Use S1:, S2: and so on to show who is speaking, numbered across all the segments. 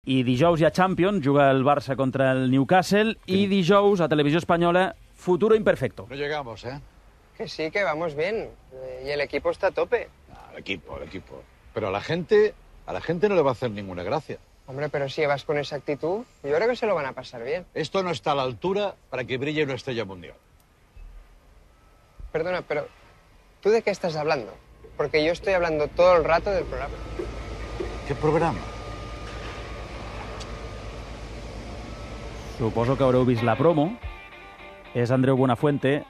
S1: I dijous hi ha Champions, juga el Barça contra el Newcastle, i dijous a Televisió Espanyola, Futuro Imperfecto.
S2: No llegamos, ¿eh?
S3: Que sí, que vamos bien. Y el equipo está a tope.
S2: El equipo. Pero a la gente no le va a hacer ninguna gracia.
S3: Hombre, pero si vas con esa actitud, yo creo que se lo van a pasar bien.
S2: Esto no está a la altura para que brille una estrella mundial.
S3: Perdona, pero ¿tú de qué estás hablando? Porque yo estoy hablando todo el rato del programa.
S2: ¿Qué programa?
S1: Suposo que haureu vist la promo. És Andreu Buenafuente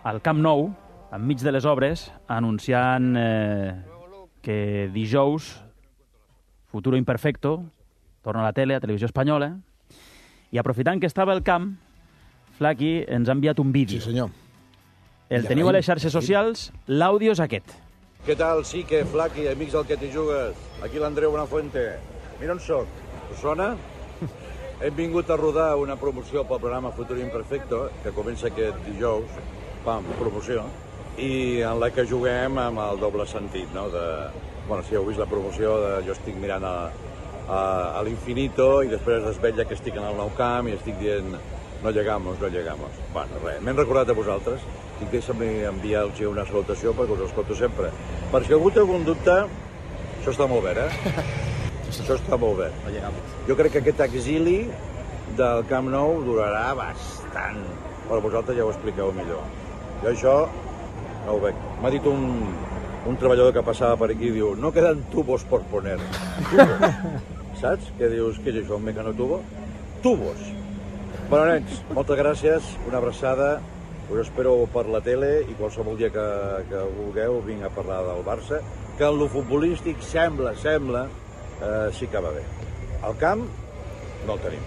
S1: al Camp Nou, enmig de les obres, anunciant que dijous Futuro Imperfecto torna a la tele, a Televisió Espanyola, i aprofitant que estava al camp, Flaqui ens ha enviat un vídeo.
S4: Sí, senyor.
S1: El teniu a les xarxes socials, l'àudio és aquest.
S5: Què tal, Sique, Flaqui, amics del que t'hi jugues? Aquí l'Andreu Buenafuente. Mira on soc. Us sona? Hem vingut a rodar una promoció pel programa Futuro Imperfecto, que comença aquest dijous, pam, promoció, i en la que juguem amb el doble sentit, no? Bueno, si heu vist la promoció, jo estic mirant a l'infinito i després es desvetlla que estic en el Nou Camp i estic dient no llegamos. Bueno, res, m'hem recordat a vosaltres i deixa'm enviar-los una salutació perquè us escolto sempre. Per si algú té algun dubte, això està molt bé, Això està molt bé. Jo crec que aquest exili del Camp Nou durarà bastant. Però vosaltres ja ho expliqueu millor. Jo això no ho veig. M'ha dit un treballador que passava per aquí, diu, no quedan tubos por poner. Tubos. Saps? Què dius? Què és això, un mecanotubo? Tubos. Bueno, nens, moltes gràcies, una abraçada. Us espero per la tele i qualsevol dia que vulgueu vinc a parlar del Barça, que en lo futbolístic sembla, sí que va bé. Al camp no el tenim.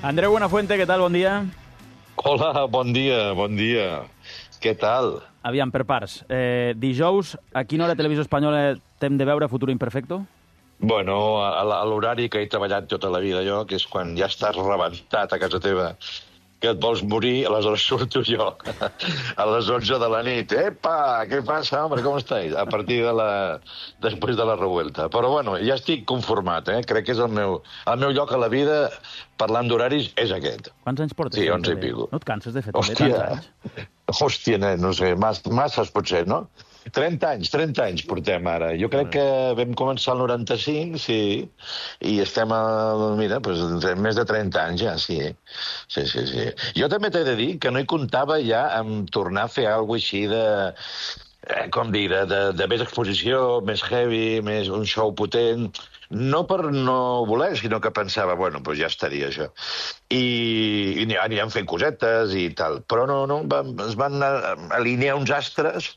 S1: Andreu Buenafuente, què tal? Bon dia.
S6: Hola, bon dia. Què tal?
S1: Aviam, per parts. Dijous, a quina hora a Televisió Espanyola t'hem de veure Futuro Imperfecto?
S6: Bueno, a l'horari que he treballat tota la vida jo, que és quan ja estàs rebentat a casa teva, que et vols morir, aleshores surto jo a les 11 de la nit. Epa, què passa, home, com estàs? A partir després de la revuelta. Però bueno, ja estic conformat, Crec que és el meu lloc a la vida, parlant d'horaris, és aquest.
S1: Quants anys portes?
S6: Sí, 11 i pico.
S1: No et canses de fer també tants anys?
S6: Hòstia, nen, no sé, masses potser, no? 30 anys portem ara. Jo crec que vam començar el 95, sí, i estem mira, més de 30 anys ja, sí. Sí. Jo també t'he de dir que no hi comptava ja amb tornar a fer alguna cosa així de més exposició, més heavy, més un show potent. No per no voler, sinó que pensava, bueno, doncs ja estaria això. I anirem fent cosetes i tal. Però no, es van alinear uns astres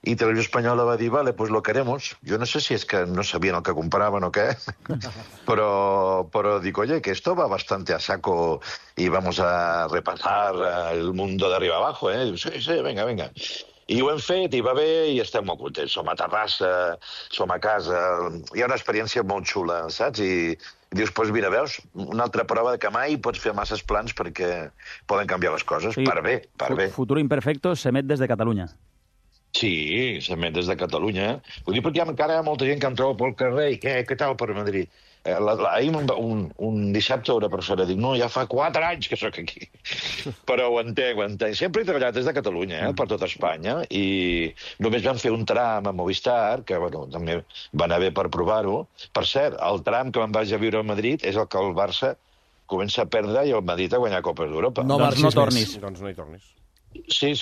S6: i Televisió Espanyola va dir, vale, pues lo queremos. Jo no sé si és que no sabien el que compraven o què, però dic, oye, que esto va bastante a saco y vamos a repasar el mundo de arriba abajo, Sí, venga. I ho hem fet, i va bé, i estem molt contents. Som a terrassa, som a casa. Hi ha una experiència molt xula, saps? I dius, doncs mira, veus, una altra prova de que mai pots fer masses plans perquè poden canviar les coses. Sí. Per bé.
S1: Futuro Imperfecto s'emet des de Catalunya.
S6: Sí, s'emet des de Catalunya. Ho dic perquè encara hi ha molta gent que em troba pel carrer i què tal per Madrid? Ahir un dissabte una persona diu, no, ja fa 4 anys que sóc aquí. Però ho entenc. Sempre he treballat des de Catalunya, per tot Espanya, i només vam fer un tram a Movistar, que bueno, també va anar bé per provar-ho. Per cert, el tram que me'n vaig a viure a Madrid és el que el Barça comença a perdre i el Madrid a guanyar Copes d'Europa.
S1: Doncs no tornis.
S4: Doncs no hi tornis.
S6: Sí,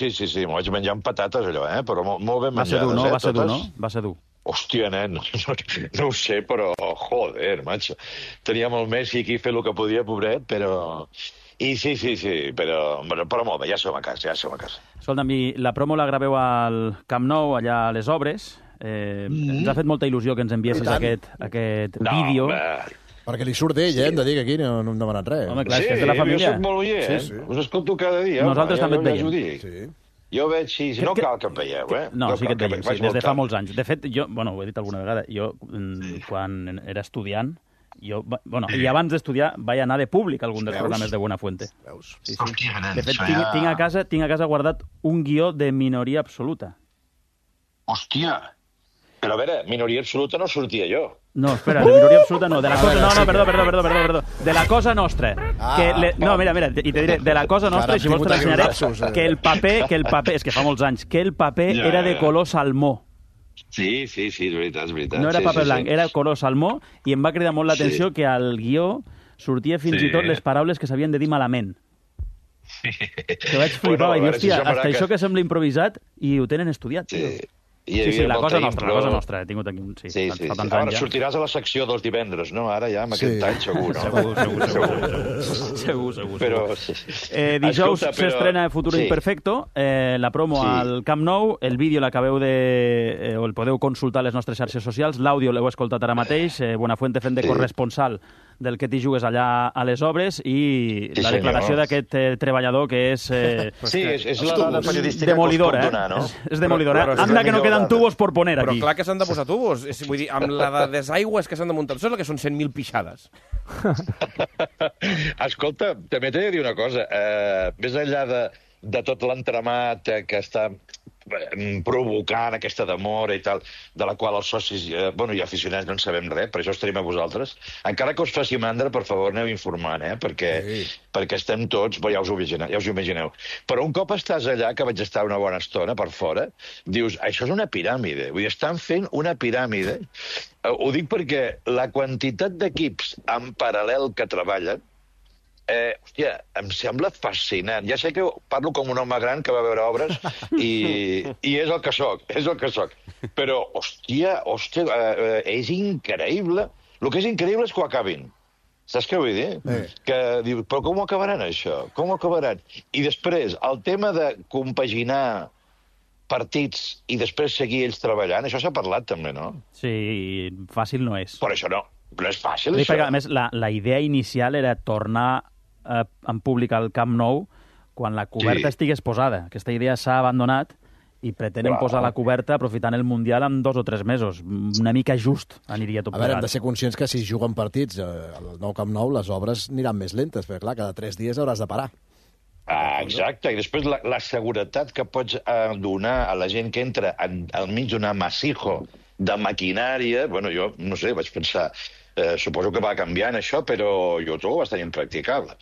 S6: m'ho vaig menjar amb patates, allò, però molt ben menjades.
S1: Va ser dur, no? Va ser dur.
S6: Hòstia, nen, no ho sé, però, joder, macho. Teníem el Messi aquí fent el que podia, pobret, però... I sí, però molt bé, ja som a casa.
S1: Escolta'm, la promo la graveu al Camp Nou, allà a les obres. Ens ha fet molta il·lusió que ens enviessis aquest vídeo.
S4: Perquè li surt d'ell, hem de dir que aquí no hem demanat res.
S1: Home, clar, és de la família.
S6: Jo soc molt oient,
S4: Sí.
S6: Us escolto cada dia.
S1: Nosaltres també et veiem.
S4: Sí.
S6: Jo veig, sí, no cal que em veieu,
S1: No, sí que et veiem, des de fa molts anys. De fet, jo, ho he dit alguna vegada, jo, quan era estudiant, i abans d'estudiar vaig anar de públic a algun dels programes de Buenafuente.
S4: Veus?
S1: Sí. De fet, tinc a casa guardat un guió de Minoria Absoluta.
S6: Hòstia! Però a veure, minoria absoluta no sortia jo.
S1: No, espera, de minoria absoluta no. De la cosa... No, perdó. De la cosa nostra. No, mira, i te diré, de la cosa nostra, i si vols te l'ensenyaré, que el paper, és que fa molts anys, que el paper era de color salmó.
S6: Sí, és veritat.
S1: No era paper blanc, era color salmó, i em va cridar molt l'atenció que al guió sortia fins i tot les paraules que s'havien de dir malament. Que vaig flipar, vaig dir, hòstia, hasta això que sembla improvisat i ho tenen estudiat. Sí, la cosa nostra, he tingut aquí...
S6: Sí. Ara sortiràs a la secció dels divendres, no? Ara ja, amb aquest any, segur, no?
S1: Segur.
S6: Però...
S1: Dijous s'estrena Futuro Imperfecto, la promo al Camp Nou, el vídeo l'acabeu de... o el podeu consultar a les nostres xarxes socials, l'àudio l'heu escoltat ara mateix, Buenafuente fent de corresponsal del que t'hi jugues allà a les obres i la declaració d'aquest treballador que és...
S6: Sí, és la dada periodística
S1: demolidora,
S6: que us pot donar, no?
S1: És demolidora. Anda que no queden tubos por poner aquí.
S7: Però clar que s'han de posar tubos. Vull dir, amb la de desaigües que s'han de muntar, que són 100.000 pixades.
S6: Escolta, també t'he de dir una cosa. Més enllà de tot l'entramat que està provocant aquesta demora i tal, de la qual els socis i aficionats no en sabem res, per això estarem a vosaltres. Encara que us faci mandra, per favor, aneu informant, perquè estem tots, ja us ho imagineu. Però un cop estàs allà, que vaig estar una bona estona per fora, dius, això és una piràmide. Vull dir, estan fent una piràmide. Ho dic perquè la quantitat d'equips en paral·lel que treballen, hòstia, em sembla fascinant. Ja sé que parlo com un home gran que va veure obres i és el que soc. Però, hòstia, és increïble. El que és increïble és que ho acabin. Saps què vull dir? Que diu, però com ho acabaran, això? Com ho acabaran? I després, el tema de compaginar partits i després seguir ells treballant, això s'ha parlat també, no?
S1: Sí, fàcil no és.
S6: Per això no és fàcil, això.
S1: Perquè, a més, la idea inicial era tornar en públic al Camp Nou quan la coberta estigués posada. Aquesta idea s'ha abandonat i pretenen posar la coberta aprofitant el Mundial en 2 o 3 mesos. Una mica just aniria tot plegat.
S4: A veure, hem de ser conscients que si juguen partits al nou Camp Nou, les obres aniran més lentes, perquè clar, cada 3 dies hauràs de parar.
S6: Exacte, i després la seguretat que pots donar a la gent que entra al mig d'un amasijo de maquinària, jo no sé, vaig pensar, suposo que va canviant això, però jo trobo bastant impracticable.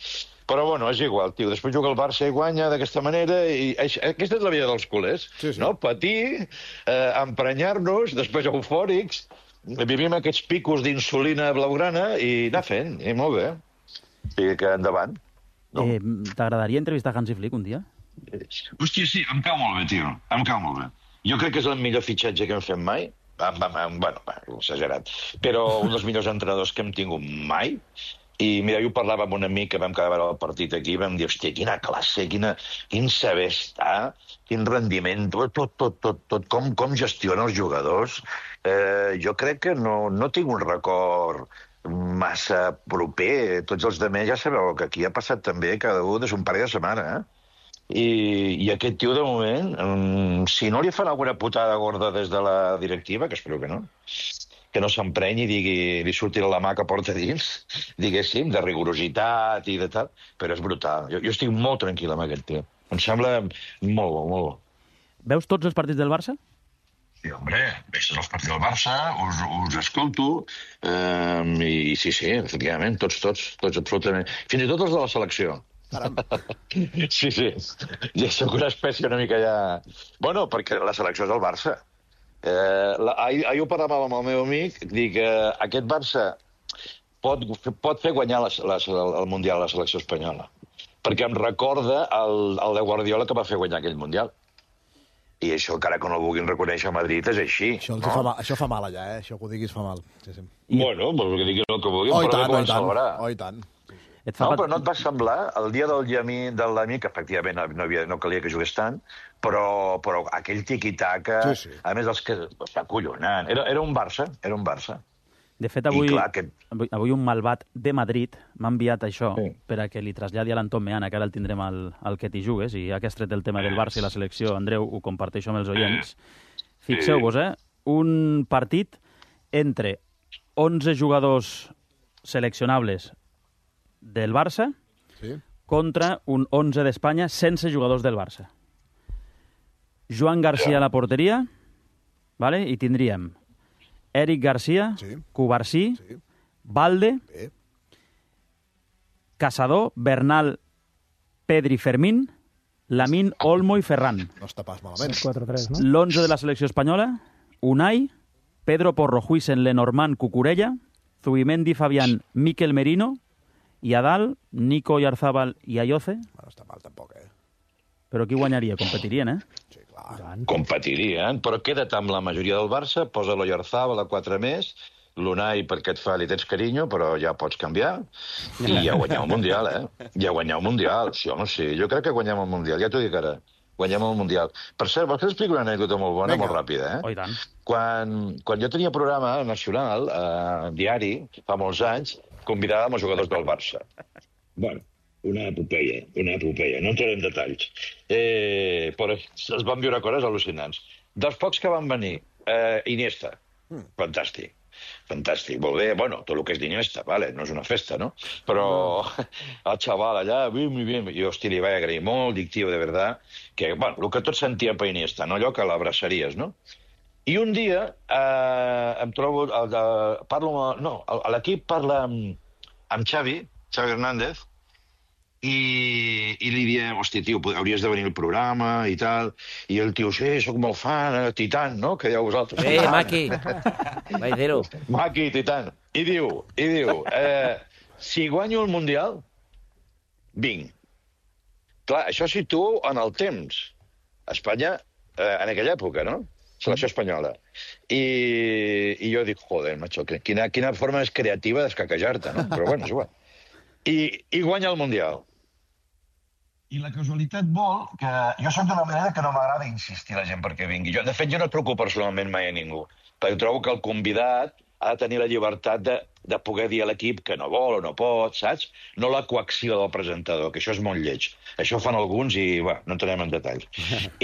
S6: Però és igual, tio, després juga el Barça i guanya d'aquesta manera, i aquesta és la vida dels culers, no? Patir, emprenyar-nos, després eufòrics, vivim aquests picos d'insulina blaugrana i anar fent, i molt bé. I que endavant.
S1: T'agradaria entrevistar Hansi Flick un dia?
S6: Hòstia, sí, em cau molt bé, tio, em cau molt bé. Jo crec que és el millor fitxatge que hem fet mai, exagerat, però un dels millors entrenadors que hem tingut mai. I mira, jo parlava amb un amic que vam quedar a veure el partit aquí, vam dir, hòstia, quina classe, quin saber estar, quin rendiment, tot, com gestiona els jugadors. Jo crec que no tinc un record massa proper. Tots els demés ja sabeu que aquí ha passat també cada un des un parell de setmanes, I aquest tio, de moment, si no li fan alguna putada gorda des de la directiva, que espero que no s'emprenyi i li surti la mà que porta dins, diguéssim, de rigorositat i de tal, però és brutal. Jo estic molt tranquil amb aquest tio. Em sembla molt bo, molt bo.
S1: Veus tots els partits del Barça?
S6: Sí, hombre, veig tots els partits del Barça, us escolto, i sí, efectivament, tots, absolutament. Fins i tot els de la selecció. Sí. Ja sóc una espècie una mica ja... perquè la selecció és el Barça. Ahir ho parlàvem amb el meu amic, dic que aquest Barça pot fer guanyar el Mundial a la selecció espanyola, perquè em recorda el de Guardiola que va fer guanyar aquell Mundial. I això, encara que no el vulguin reconèixer a Madrid, és així.
S4: Això fa mal allà, això que ho diguis fa mal. Sí.
S6: Que diguin el que vulguin, però bé poden celebrar.
S4: I tant.
S6: Però no et va semblar el dia del l'amic, que efectivament no calia que jugués tant, però aquell tiqui-taca, a més els que s'acollonant, era un Barça.
S1: De fet, avui un malvat de Madrid m'ha enviat això per a que li traslladi a l'Anton Meana, que ara el tindrem al que t'hi jugues, i ja que has tret el tema del Barça i la selecció, Andreu, ho comparteixo amb els oients. Fixeu-vos, un partit entre 11 jugadors seleccionables del Barça contra un 11 d'Espanya sense jugadors del Barça. Joan García a la porteria, i tindríem Eric Garcia,
S4: Sí.
S1: Cubarsí,
S4: Sí.
S1: Valde,
S4: Bé.
S1: Caçador, Bernal, Pedri, Fermín, Lamine, Olmo i Ferran.
S4: No està pas malament.
S8: 4-3, no?
S1: L'11 de la selecció espanyola, Unai, Pedro Porro, Huijsen, Lenormand, Cucurella, Zubimendi, Fabián, Miquel Merino, i a dalt, Nico, Yarzábal i Ayoce.
S4: No està mal tampoc,
S1: Però qui guanyaria? Competirien, eh?
S4: Sí, clar.
S6: Competirien, però queda't amb la majoria del Barça, posa l'Oyarzabal a 4 més, l'Unai perquè et fa, li tens carinyo, però ja pots canviar, i ja guanyeu el Mundial, Ja guanyeu el Mundial, sí, home, sí, jo crec que guanyem el Mundial, ja t'ho dic ara, guanyem el Mundial. Per cert, vols que t'expliqui una anècdota molt bona, molt ràpida,
S1: Oh, i tant.
S6: Quan jo tenia programa nacional, diari, fa molts anys, convidàvem els jugadors del Barça. Bueno, una epopeia, no entraré en detalls. Però es van viure coses al·lucinants. Dels pocs que van venir, Iniesta, fantàstic, molt bé, bueno, tot el que és d'Iniesta, vale, no és una festa, no? Però el xaval allà, bien, jo, hosti, li vaig agrair molt, dic, tio, de verdad, que, bueno, el que tots sentíem per Iniesta, no allò que l'abraçaries, no? I un dia em trobo, l'equip parla amb Xavi Hernández, i li diem, hosti, tio, hauries de venir al programa i tal, i el tio, sí, soc molt fan, Titan, no?, que dieu vosaltres.
S7: Maki, Vaidero.
S6: Maki, Titan. I diu, si guanyo el Mundial, vinc. Clar, això situo en el temps. Espanya, en aquella època, no?, selecció espanyola. I jo dic, joder, macho, quina forma més creativa d'escaquejar-te, no? Però bueno, és igual. I guanya el Mundial. I la casualitat vol que... Jo soc d'una manera que no m'agrada insistir a la gent perquè vingui. De fet, jo no truco personalment mai a ningú, perquè trobo que el convidat ha de tenir la llibertat de poder dir a l'equip que no vol o no pot, saps? No la coacció del presentador, que això és molt lleig. Això ho fan alguns i, bueno, no entrem en detalls.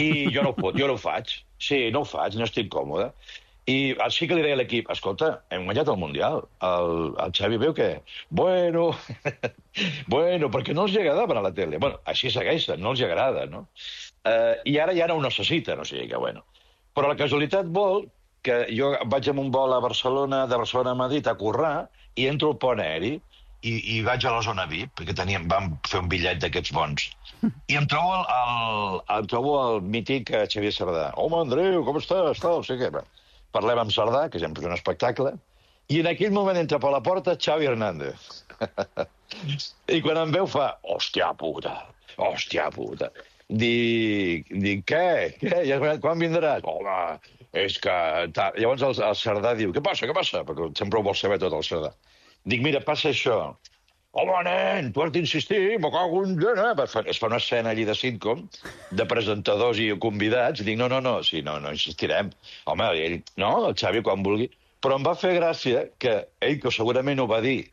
S6: I jo no ho faig. Sí, no ho faig, no estic còmode. I sí que li deia a l'equip, escolta, hem guanyat el Mundial. El Xavi veu que... Bueno, perquè no els agrada per a la tele. Bueno, així segueixen, no els agrada, no? I ara ja no ho necessiten, o sigui que, bueno. Però la casualitat vol que jo vaig amb un vol a Barcelona, de Barcelona a Madrid, a currar, i entro al pont aeri, i vaig a la zona VIP, perquè vam fer un bitllet d'aquests bons. I em trobo el mític Xavier Sardà. Home, Andreu, com estàs? No sé què. Parlem amb Sardà, que sempre és un espectacle, i en aquell moment entra per la porta Xavi Hernández. I quan em veu fa, hòstia puta. Dic, què? Quan vindràs? Home, és que... Llavors el Sardà diu, què passa? Perquè sempre ho vol saber tot el Sardà. Dic, mira, passa això. Home, nen, tu has d'insistir, me cago en... Es fa una escena allí de sitcom, de presentadors i convidats, i dic, no, insistirem. Home, ell, no, el Xavi quan vulgui. Però em va fer gràcia que ell, que segurament ho va dir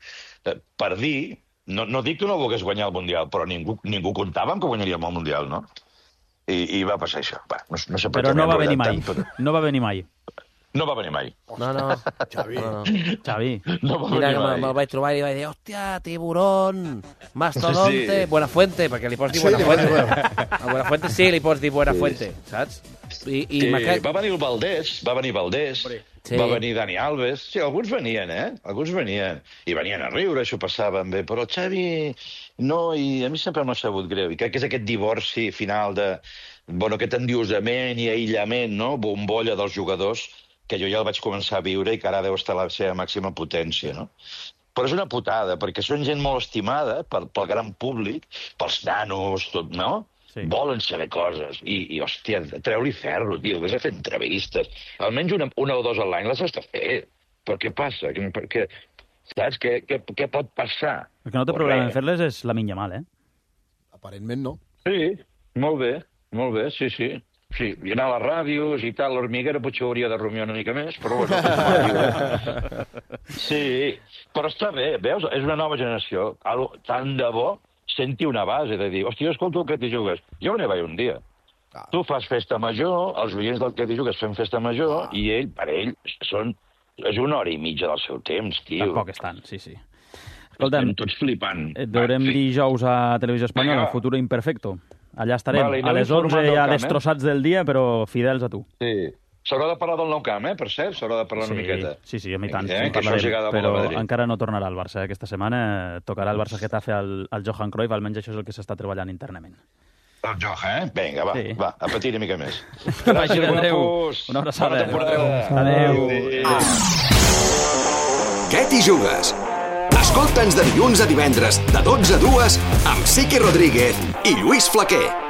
S6: per dir, no dic que no volgués guanyar el Mundial, però ningú comptava amb que guanyaríem el Mundial, no? I va passar això. No sé per
S1: però
S6: què
S1: no va venir
S6: mai.
S1: No va venir mai.
S6: No va venir mai.
S7: No.
S1: Xavi.
S6: No va
S7: Mira,
S6: venir mai.
S7: me'l vaig trobar i vaig dir, hòstia, tiburón, mastodonte,
S6: Sí.
S7: Buenafuente, perquè li pots dir Buenafuente. A Buenafuente sí li pots dir Buenafuente, saps? I
S6: va venir el Valdés,
S7: Sí.
S6: va venir Dani Alves. Sí, alguns venien, Alguns venien. I venien a riure, això passaven bé. Però el Xavi no, i a mi sempre m'ha sabut greu. I crec que és aquest divorci final aquest endiosament i aïllament, no? Bombolla dels jugadors, que jo ja el vaig començar a viure i que ara deu estar a la seva màxima potència, no? Però és una putada, perquè són gent molt estimada pel gran públic, pels nanos, tot, no? Sí. Volen saber coses. I hòstia, treu-li ferro, tio, vés a fer entrevistes. Almenys una o dues a l'any les has de fer. Però què passa? Saps? Què pot passar?
S1: El que no té problema en fer-les és la minya mal,
S4: Aparentment no.
S6: Sí, molt bé, sí. Sí, i anar a les ràdios i tal, l'Hormiguero potser hauria de rumiar una mica més, però bueno. Sí, però està bé, veus? És una nova generació. Tant de bo senti una base de dir, hòstia, escolta el que t'hi jugues. Jo me n'hi vaig un dia. Tu fas festa major, els oients del que t'hi jugues fem festa major, i per ell, és una hora i mitja del seu temps, tio.
S1: Tampoc és tant, sí. Escolta'm,
S6: estem tots flipant.
S1: Et veurem dijous a Televisió Espanyola, Futuro Imperfecto. Allà estarem,
S6: Vale,
S1: a les 11 ja destrossats del dia, però fidels a tu.
S6: Sí, S'haurà de parlar del Nou Camp, per cert, s'haurà de parlar una miqueta.
S1: Sí, a mi tant,
S6: que això els agrada molt a
S1: però
S6: Madrid.
S1: encara no tornarà al Barça aquesta setmana. Tocarà el Barça-Getafe al Johan Cruyff, almenys això és el que s'està treballant internament.
S6: El Johan, Vinga, va, a patir una mica més.
S1: Gràcies, Andreu.
S6: guapos.
S1: Una abraçada.
S6: Bona temporada.
S1: Adéu.
S8: Què t'hi jugues? Escolta'ns de dilluns a divendres, de 12 a 2, amb Sique Rodríguez i Lluís Flaquer.